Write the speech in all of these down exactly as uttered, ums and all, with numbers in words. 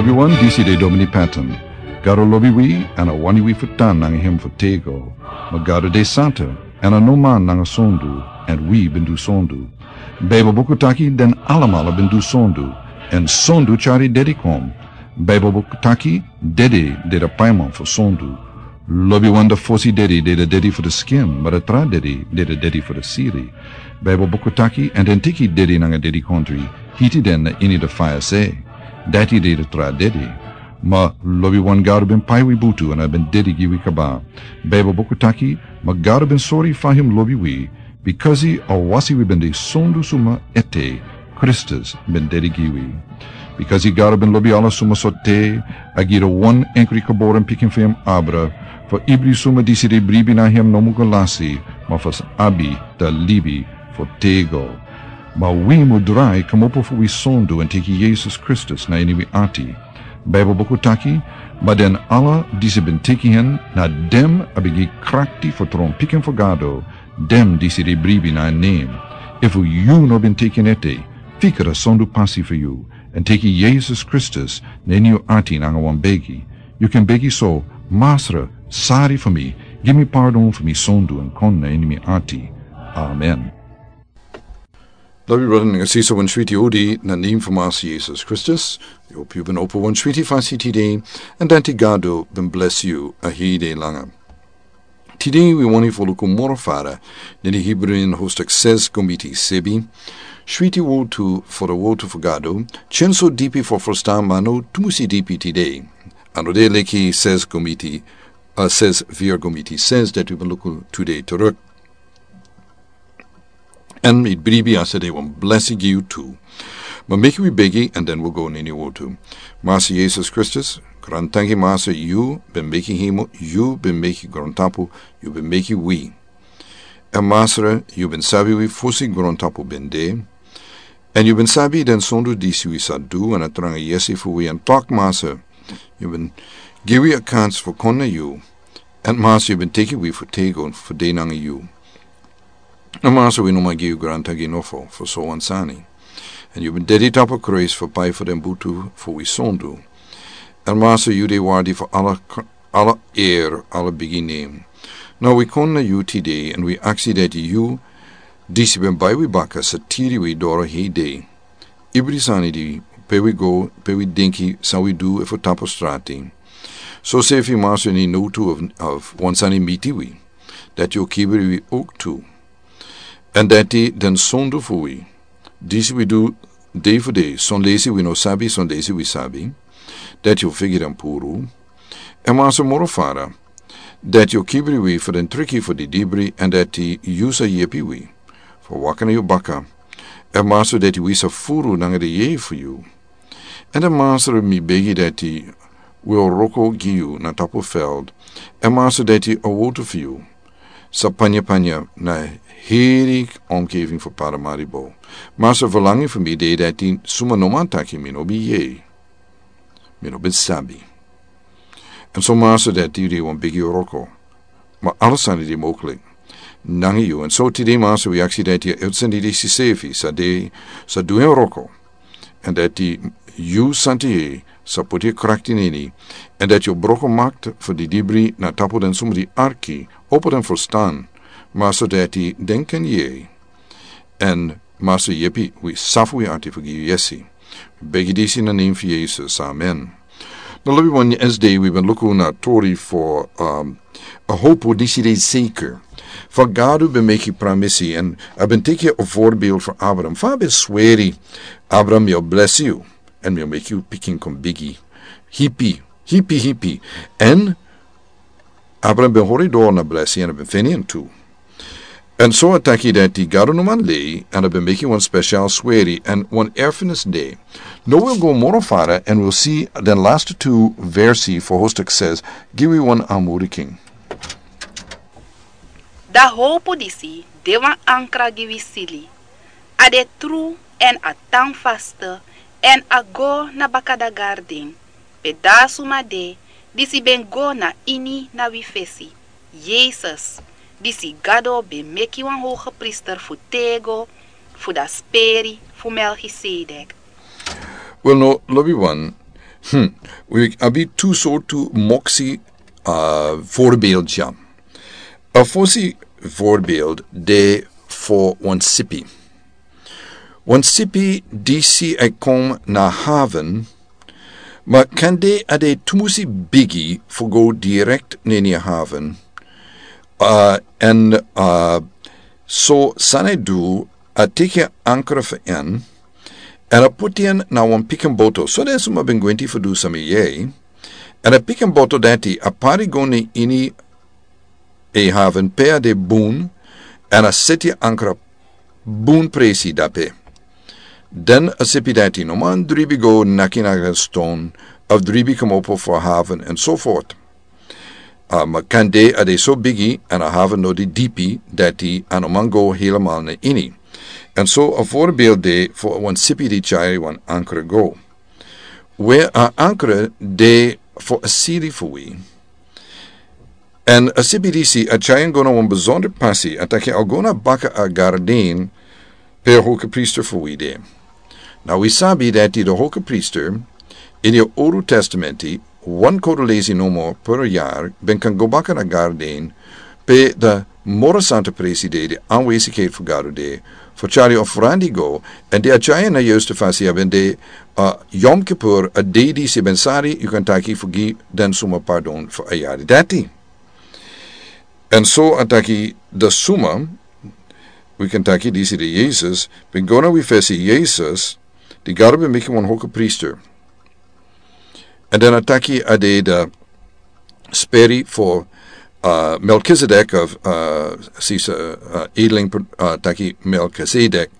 Wi wan disi de Domini Patton. Gado lobi wi, èn a wani wi fu tan nanga hem fu tego. Ma Gado de santa, èn a no man nanga sondu, èn wi ben du sondu. Baibel buku taki den alamala ben du sondu, èn sondu tyari dedi kon. Baibel buku taki dedi de de paiman fu sondu. Lobi wan de fosi dedi de de dedi fu de skin, ma de tra dedi de de dedi fu de siri. Baibel buku taki, èn den teki dedi nanga dedi kontri, hiti den na ini de faya se. Dati de de tra dedi. Ma lobi wan Gado ben pai wi butu èn a ben dedi gi wi kaba. Baibel buku taki, ma Gado ben sori fa hem lobi wi, bikasi a wasi wi ben de sondu suma ete, Kristus ben dedi gi wi. Bikasi Gado ben lobi ala suma so te, a gi de wan enkri geboren pikin fu hem abra, fu ibri suma disi de bribi na hem no mu go lasi, ma fu abi da libi fu tego. Ma wi mu drai kmopo fu wi sondu èn teki Yesus Kristus na ini wi ati. Baibel buku taki, ma den ala disi ben teki hen, na dem a ben gi krakti fu tron pikin fu Gado, dem disi de bribi na en nem. Efu yu no ben teki en ete, fika da sondu pasi fu yu, èn teki Yesus Kristus na ini yu ati nanga wan begi. Yu ken begi so, Masra, sari fu mi, gi mi pardon fu mi sondu èn kon na ini mi ati. Amen. Lobi brada nanga sisa, wan switi odi na nem fu Masra Yesus Kristus. Yu hopi yu ben opo wan switi fasi tide, èn dati Gado ben blesi yu a hei dei langa. Tide wi wani fu luku moro fara na ini Hebrew na hostuk ses go miti sebi. Switi wotu fu de wotu fu Gado, tyen so dipi fu ferstan ma no tumusi dipi tide. A no de leki ses go miti, a ses viri go miti ses dati wi ben luku tu dei teruk. Èn mi bribi a sa de wan blesi gi yu tu. Ma meki wi begi èn den wi go na ini wotu. Masra Yesus Kristus, grantangi Masra, yu ben meki hemel, yu ben meki grontapu, yu ben meki wi. Èn Masra, yu ben sabi wi fosi grontapu ben de. Èn yu ben sabi den sondu disi wi sa du èn a tranga yesi fu wi èn tok Masra, yu ben gi wi a kans fu kon na yu. Èn Masra, yu ben teki wi fu tego fu de nanga yu. Èn Masra, wi no man gi yu grantangi nofo fu so wan sani. Èn yu ben dedi tapu Krais fu pai fu den butu fu wi sondu. Èn Masra, yu de wardi fu ala k-, ala ere, ala bigi nem. Now wi kon na yu tide èn wi aksi dati yu disi ben bai wi baka sa tiri wi doro hei dei. Ibri sani di pe wi go, pe wi denki, san wi du efu tapu strati. So sefi Masra, ini nowtu of, of wan sani miti wi, dati yu o kibri wi ook tu. Èn dati den sondu fu wi, disi wi du dei fu dei, son leisi wi no sabi, son leisi wi sabi, dati yu o fegi den puru. Èn Masra, moro fara, dati yu o kibri wi fu den triki fu didibri, èn dati yu sa yepi wi fu waka na yu baka. Èn Masra, dati wi sa furu nanga den yeye fu yu. Èn dan Masra, mi begi dati wi o wroko gi yu na tapu veld. Èn Masra, dati a wotu fu yu sa panya panya na heri omgeving fu Paramaribo. Masra, verlangi fu mi de dati suma no man taki mi no ben yere, mi no ben sabi. Èn so Masra, dati yu de wan bigi wroko. Ma ala sani de mogelijk nanga yu. Èn so tide Masra, wi aksi dati a uitzending disi sefi sa de, sa du en wroko. Èn dati yu Santu Yeye sa poti krakti na ini. Èn dati yu o broko makti fu didibri na tapu den suma di arki, opo den ferstan. Masra, dati den kan yere. Èn Masra, yepi wi, safu wi ati fu gi yu yesi. Begi disi na nen fu Yesus. Amen. Na lobi wan, esde wi ben luku na tori fu, um, a hopu disi de zeker. Fa Gado ben meki pramisi èn a ben teki a voorbeeld fu Abraham. Fa a ben sweri, Abraham, mi o blesi yu èn mi o meki yu pikin kon bigi. Hipi, hipi, hipi. Èn Abraham ben hori doro na blesi èn a ben feni en tu. Èn so a taki dati Gado no man lei, èn a ben meki wan spesial sweri èn wan erfenis de. Now wi o go moro fara èn wi o si den laatste tu versi fu hoofdstuk zes, gi wi wan aanmoediking. Da hopu disi de wan ankra gi wi sili. A de tru èn a tan faste èn a go na baka da garden. Pe da a suma de disi ben go na ini na wi fesi, Yesus, disi Gado ben meki wan hogepriester fu tego fu da speri fu Melchisedek. Wel, no, lobi wan, Hmm. Wi abi tu sortu moksi, uh, voorbeeldja. A fosi voorbeeld de fu wan sipi. Wan sipi disi e kon na haven, ma kande a de tumusi bigi fu go direct na ini a haven. Uh, en, uh, so san a du, a teki ankra fu en, en a poti en na wan pikin boto. So den suma ben gwenti fu du sami yei. En a pikin boto dati a pari go na ini a haven pe a de bun, en a seti ankra bun presi dape. Den a sipi dati no man dribi go naki na a ston, of dribi komopo fu a haven, en so fort. Uh, ma kande a de so bigi, en a haven no de dipi, dati a no man go helemaal na ini. En so a voorbeeld de fu wan sipi di tyari wan ankra go. We a ankra de fu a siri fu wi. En a sipi disi a tyari en go na wan besonder pasi, a taki a o go na baka a garden pe a hoge priester fu wi de. Na wi sabi dati de hoge priester, ini a Old Testamenti, wan kodo lesi nomo per yari, ben kan go baka na garden, pe de moro santa presi de, de aanwezigheid fu Gado de, fu tyari ofrandi go, en di a tyari en na juiste fasi a ben de, uh, Yom Kippur, a dei disi ben sari, yu kan taki fu gi den suma pardon fu a yari dati. En so a taki de suma, wi kan taki disi de Jesus, ben go na wi fesi Jesus, di Gado ben meki wan hoge priester. En dan a taki a de de speri fu, uh, Melchizedek of, uh, sisa, uh, edeling, uh, taki Melchizedek.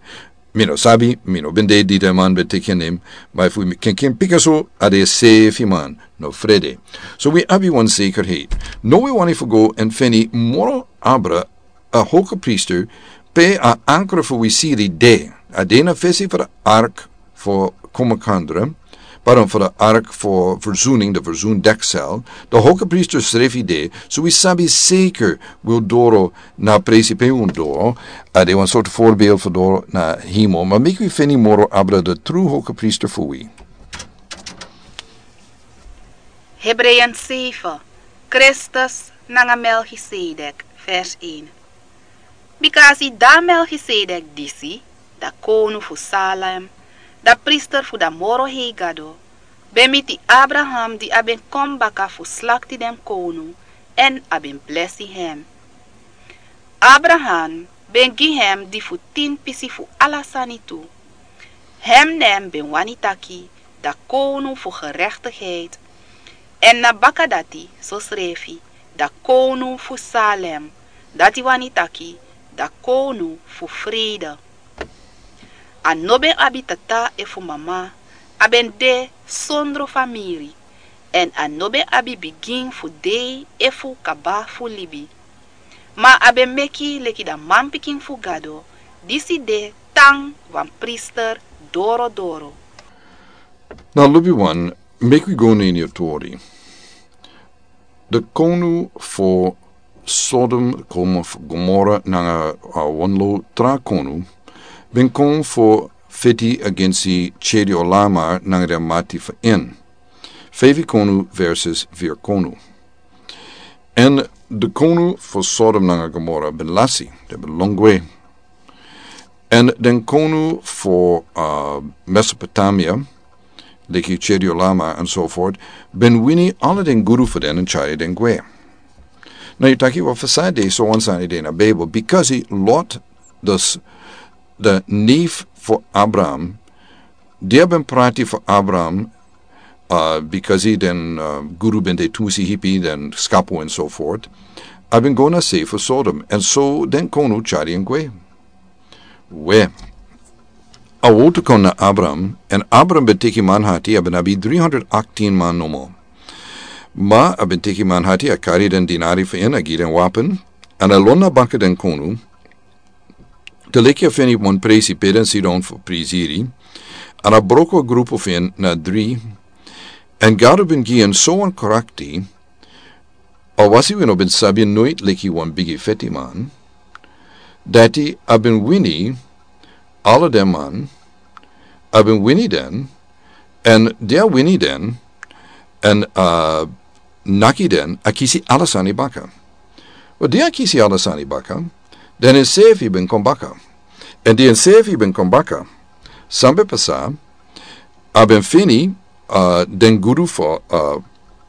Mi no sabi, mi no ben de di den man ben teki en nen, ma efu mi ken ken pika so, a de sefi man, no frede. So wi abi wan zekerheid. No wi wani fu go en feni moro abra a hoge priester, pe a ankra fu wi siri de. A de na fesi fu de ark fu komakandra, pardon, fu de ark fu verzoening, de verzoendeksel. De hoge priester srefi de, so wi sabi zeker wi doro na presi pe un doro. A de wan sortu voorbeeld fu doro na hemel. Ma meki wi feni moro abra de true hoge priester fu wi. Hebreeën zeven, Christus nanga Melchizedek, vers één. Bika a si dan Melchizedek disi, dan kownu fu Salem, dan priester fu dan moro hei Gado, ben miti Abraham di a ben kon baka fu slakti den kownu, èn a ben blesi hem. Abraham ben gi hem di fu tin pisi fu ala sani tu. Hem nen ben wani taki dan kownu fu gerechtigheid. Èn na baka dati sosrefi dan kownu fu Salem, dati wani taki dan kownu fu vrede. A no ben abi tata efu mama, a ben de sondro famiri, èn a no ben abi bigin fu dei efu kaba fu libi. Ma a ben meki leki dan manpikin fu Gado, disi de tan wan priester dorodoro. Na lubi wan, meki wi go na ini a tori. De kownu fu Sodom, kownu fu Gomora nanga, uh, wan lo tra kownu ben kon fu feti agensi Chedorlaomer nanga den mati fu en. Feifi kownu versus firi kownu. Èn de kownu fu Sodom nanga Gomora ben lasi, den ben lon gwe. Èn den kownu fu, uh, Mesopotamia, leki Chedorlaomer en so fort, ben wini ala den gudu fu den èn tyari den gwe. Now yu taki, wel, fu san de so wan sani de na Bijbel, because Lot, dus de neef fu Abraham, di a ben prati fu Abraham, uh, because den, uh, gudu ben de tumusi hipi, den skapu en so fort, a ben go na sei fu Sodom, èn so den kownu tyari en gwe. We, a wowtu kon na Abraham, èn Abraham ben teki manhati, a ben abi driehonderdachttien man nomo. Ma a ben teki manhati, a kari den dinari fu en, a gi den wapen, èn a lon na baka den kownu, te leki a feni wan presi pe den sidon fu prisiri, èn a broko a grupu fu en na dri, èn Gado ben gi en so wan krakti, a wasi wi no ben sabi en noit leki wan bigi feti man, dati a ben wini ala den man, a ben wini den, èn di a wini den, Èn a naki den, a kisi ala sani baka. Wel, di a kisi ala sani baka, den enseefi ben kon baka. Èn di enseefi ben kon baka, san ben pasa, a ben feni, a, den gudu fu, a,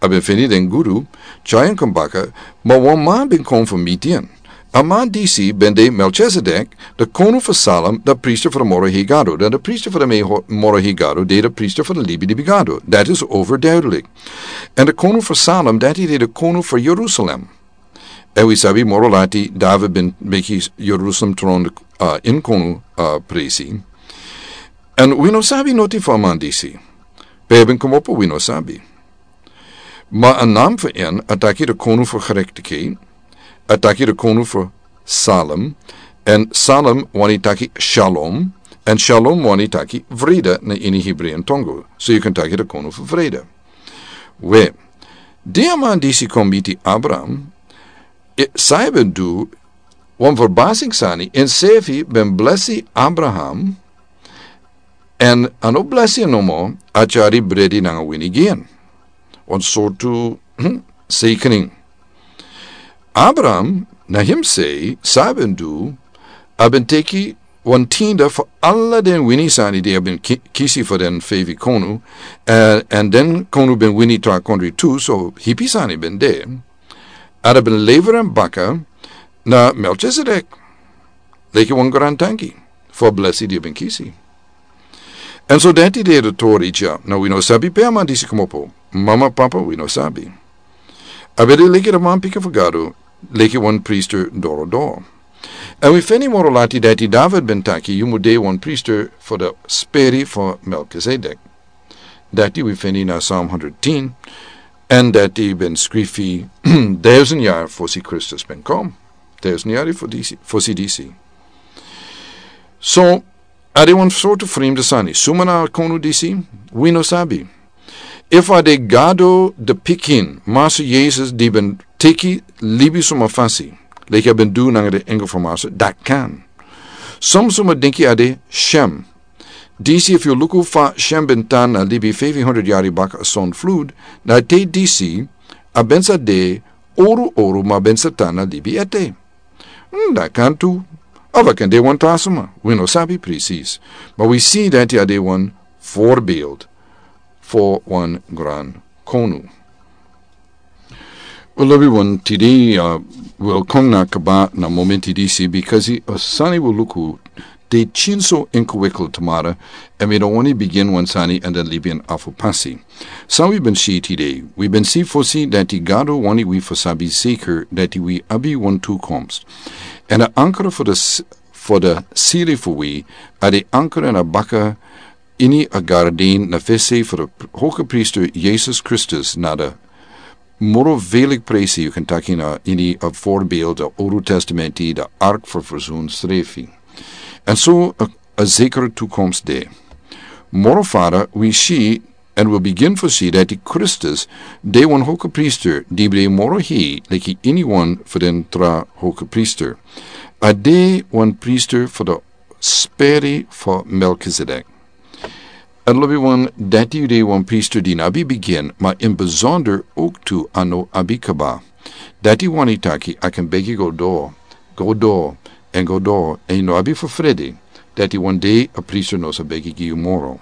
a ben feni den gudu, tyari en kon baka, ma wan man ben kon fu miti en. A man disi ben de Melchizedek, de konu fu Salem, de priester fu de moro hei Gado. Dan de priester fu de me-, moro hei Gado, de de priester fu de libilibi Gado. Dat is overduidelijk. Èn de konu fu Salem, dati de de konu fu Jerusalem. Èn wi sabi moro lati David ben meki Jerusalem tron, a, ini konu, a, presi. Èn wi no sabi noti fu a man disi. Pe a ben komopo, wi no sabi. Ma a nam fu en, a taki de konu fu gerechtigheid, a taki de konu fu Salem, èn Salem wani taki shalom, èn shalom wani taki vrede na ini Hebreeën tongo. So yu kan taki de konu fu vrede. We, di a man disi kon miti Abraham, e, san a ben du, wan verbasing sani, enseefi ben blesi Abraham, èn a no blesi en nomo, a tyari bredi nanga wini gi en. Wan sortu, hmm, zegening. Abraham, na hemsei, san a ben du, a ben teki wan tiende fu ala den wini sani di a ben ki-, kisi fu den feifi konu, èn, èn den konu ben wini tra kondre tu, so hipi sani ben de. A ben lever en baka na Melchizedek. Leki wan grantangi fu a blesi di a ben kisi. Èn so dati de de tori dya, now wi no sabi pe a man disi komopo. Mama, papa, wi no sabi. A ben de leki de manpikin fu Gado, leki wan priester doro doro. Èn wi feni moro lati dati David ben taki, yu mu de wan priester fu de speri fu Melchizedek. Dati wi feni na Psalm honderd tien, èn dati ben skrifi duizend yari fosi Kristus ben kon. Duizend yari fo disi, fosi disi. So, a de wan sortu fremde sani. Suma na a konu disi, wi no sabi. Efu a de Gado de pikin, Masra Yesus di ben teki libi suma fasi, leki a ben du nanga de engel fu Masra, dati kan. Son suma denki a de Shem. Disi efu yu luku fa Shem ben tan na libi feifi honderd yari baka a sonflud, na te disi, a ben sa de oru oru ma ben sa tan na libi ete. Hmm, dati kan tu. Of a kan de wan tra suma. Wi no sabi presis. Ma wi si dati a de wan voorbeeld fu wan gran konu. Wel, lobiwan, tide, uh, wi o kon na kaba na momenti disi, because a sani wi o luku de tyari so ingewikkeld tamara, èn wi no wani bigin wan sani èn dan libi en afo pasi. San wi ben si tide, wi ben si fosi dati Gado wani wi fu sabi zeker dati wi abi wan toekomst. Èn a ankra fu de s-, fu de siri fu wi, a de ankra na baka ini a garden na fesi fu de pr-, hoge priester Yesus Kristus na de moro veilig presi, yu kan taki na ini a voorbeeld de Old Testamenti, de ark fu verzoen srefi. Èn so a, a zekere toekomst de. Moro fara, wi si, èn wi bigin fu si dati Kristus, de wan hoge priester, di ben de moro hei, leki iniwan fu den tra hoge priester. A de wan priester fu de speri fu Melchizedek. Èn lobiwan, dati de wan priester di no abi bigin, ma ini besonder ook tu a no abi kaba. Dati wani taki a kan begi go doro, go doro, èn go doro, èn yu no abi fu frede, dati wan dei a priester no sa begi gi yu moro.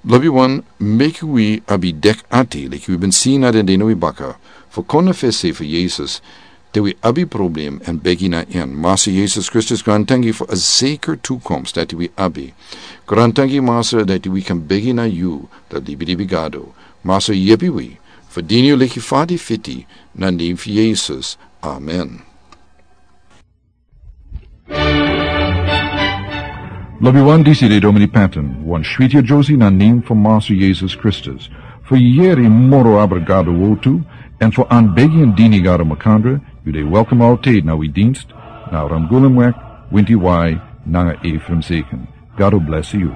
Lobiwan, meki wi abi dek ati, leki wi ben si na den dei na wi baka, fu kon na fesi fu Yesus, te wi abi problem èn begi na en. Masra Yesus Kristus, grantangi fu a zeker toekomst dati wi abi. Grantangi Masra dati wi kan begi na yu, de libilibi Gado. Masra yepi wi, fu dini yu leki fa di fiti, na nen fu Yesus. Amen. Lobiwan, disi de Domini Panton, wan switi a Josie na nen fu Masra Yesus Kristus. Fu yere moro abra Gado wortu, èn fu anbegi èn dini Gado makandra, yu de welkom altijd na wi dienst, na Ramgulemweg, winti wai, nanga Ephraim Zeken. Gado blesi yu.